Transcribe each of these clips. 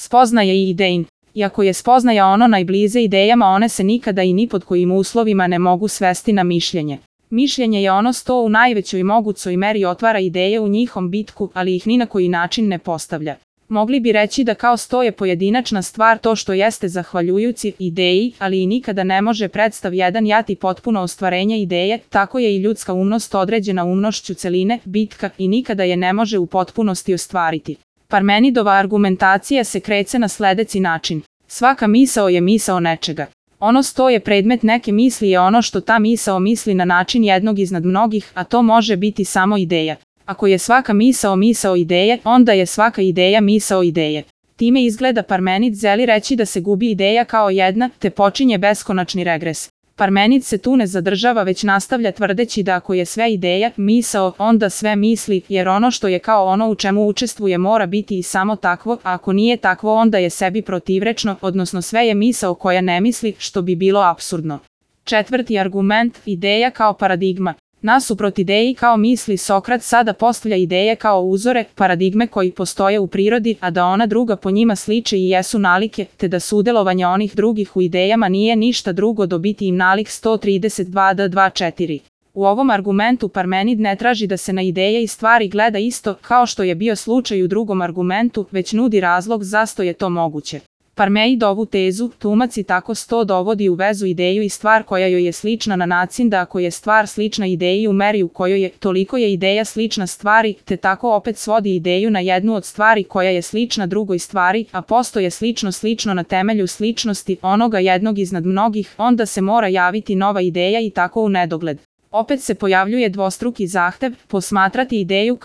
Spoznaja i idein. Iako je spoznaja ono najbliže idejama, one se nikada i ni pod kojim uslovima ne mogu svesti na mišljenje. Mišljenje je ono što u najvećoj mogućoj meri otvara ideje u njihom bitku, ali ih ni na koji način ne postavlja. Mogli bi reći da kao sto je pojedinačna stvar to što jeste zahvaljujući ideji, ali i nikada ne može predstav jedan jati potpuno ostvarenje ideje, tako je i ljudska umnost određena umnošću celine, bitka, i nikada je ne može u potpunosti ostvariti. Parmenidova argumentacija se kreće na sledeći način. Svaka misao je misao nečega. Ono što je predmet neke misli je ono što ta misao misli na način jednog iznad mnogih, a to može biti samo ideja. Ako je svaka misao misao ideje, onda je svaka ideja misao ideje. Time izgleda Parmenid želi reći da se gubi ideja kao jedna, te počinje beskonačni regres. Parmenid se tu ne zadržava, već nastavlja tvrdeći da ako je sve ideja, misao, onda sve misli, jer ono što je kao ono u čemu učestvuje mora biti i samo takvo, a ako nije takvo onda je sebi protivrečno, odnosno sve je misao koja ne misli, što bi bilo apsurdno. Četvrti argument, ideja kao paradigma. Nasuprot ideji kao misli, Sokrat sada postavlja ideje kao uzore, paradigme koji postoje u prirodi, a da ona druga po njima sliče i jesu nalike, te da sudjelovanje onih drugih u idejama nije ništa drugo do biti im nalik 132d24. U ovom argumentu Parmenid ne traži da se na ideje i stvari gleda isto, kao što je bio slučaj u drugom argumentu, već nudi razlog zašto je to moguće. Parmenid ovu tezu tumači tako što dovodi u vezu ideju i stvar koja joj je slična na način da ako je stvar slična ideji u meri u kojoj je, toliko je ideja slična stvari, te tako opet svodi ideju na jednu od stvari koja je slična drugoj stvari, a posto je slično na temelju sličnosti onoga jednog iznad mnogih, onda se mora javiti nova ideja i tako u nedogled. Opet se pojavljuje dvostruki zahtev, posmatrati ideju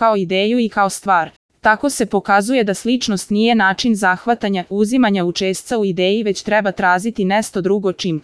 i kao stvar. Tako se pokazuje da sličnost nije način zahvatanja, uzimanja učešća u ideji, već treba tražiti nešto drugo čim